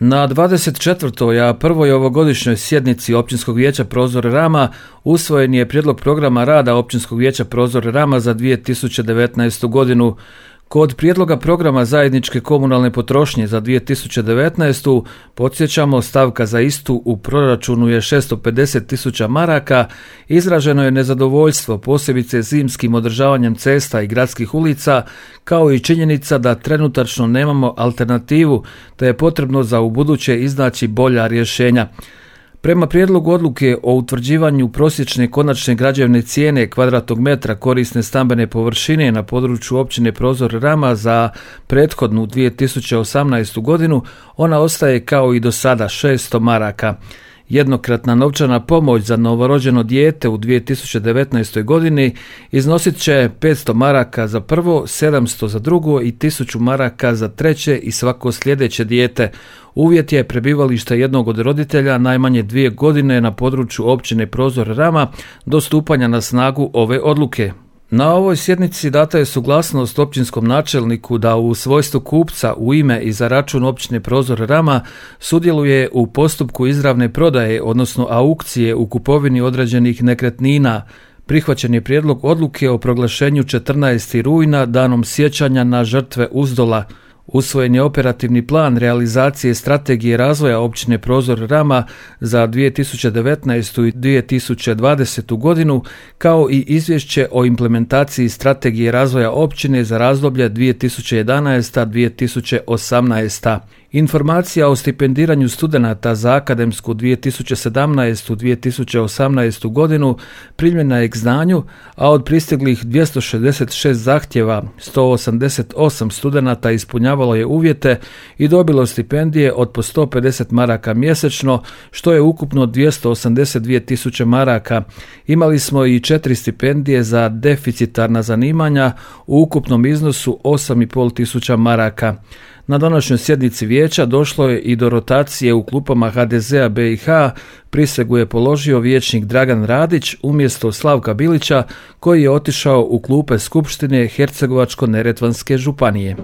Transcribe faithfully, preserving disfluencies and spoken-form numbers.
Na dvadeset četvrtoj a prvoj ovogodišnjoj sjednici Općinskog vijeća Prozor Rama usvojen je prijedlog programa rada Općinskog vijeća Prozor Rama za dvije tisuće devetnaestu. godinu. Kod prijedloga programa zajedničke komunalne potrošnje za dvije tisuće devetnaestu. podsjećamo, stavka za istu u proračunu je šesto pedeset tisuća maraka, izraženo je nezadovoljstvo posebice zimskim održavanjem cesta i gradskih ulica, kao i činjenica da trenutačno nemamo alternativu, te je potrebno za ubuduće iznaći bolja rješenja. Prema prijedlogu odluke o utvrđivanju prosječne konačne građevne cijene kvadratnog metra korisne stambene površine na području općine Prozor Rama za prethodnu dvije tisuće osamnaestu. godinu, ona ostaje kao i do sada šesto maraka. Jednokratna novčana pomoć za novorođeno dijete u dvije tisuće devetnaestoj. godini iznosit će petsto maraka za prvo, sedamsto za drugo i tisuću maraka za treće i svako sljedeće dijete. Uvjet je prebivalište jednog od roditelja najmanje dvije godine na području općine Prozor Rama do stupanja na snagu ove odluke. Na ovoj sjednici data je suglasnost općinskom načelniku da u svojstvu kupca u ime i za račun općine Prozor Rama sudjeluje u postupku izravne prodaje, odnosno aukcije u kupovini određenih nekretnina. Prihvaćen je prijedlog odluke o proglašenju četrnaestog rujna danom sjećanja na žrtve Uzdola. Usvojen je operativni plan realizacije strategije razvoja općine Prozor Rama za dvije tisuće devetnaestu. i dvije tisuće dvadesetu. godinu, kao i izvješće o implementaciji strategije razvoja općine za razdoblje dvije tisuće jedanaesta. do dvije tisuće osamnaeste. Informacija o stipendiranju studenata za akademsku dvije tisuće sedamnaestu. do dvije tisuće osamnaestu. godinu primljena je k znanju, a od pristiglih dvjesto šezdeset šest zahtjeva sto osamdeset osam studenata ispunjavalo je uvjete i dobilo stipendije od po sto pedeset maraka mjesečno, što je ukupno dvjesto osamdeset dvije tisuće maraka. Imali smo i četiri stipendije za deficitarna zanimanja u ukupnom iznosu osam i pol tisuća maraka. Na današnjoj sjednici vijeća došlo je i do rotacije u klupama ha de zea be i ha, prisegu je položio vijećnik Dragan Radić umjesto Slavka Bilića, koji je otišao u klupe Skupštine Hercegovačko-neretvanske županije.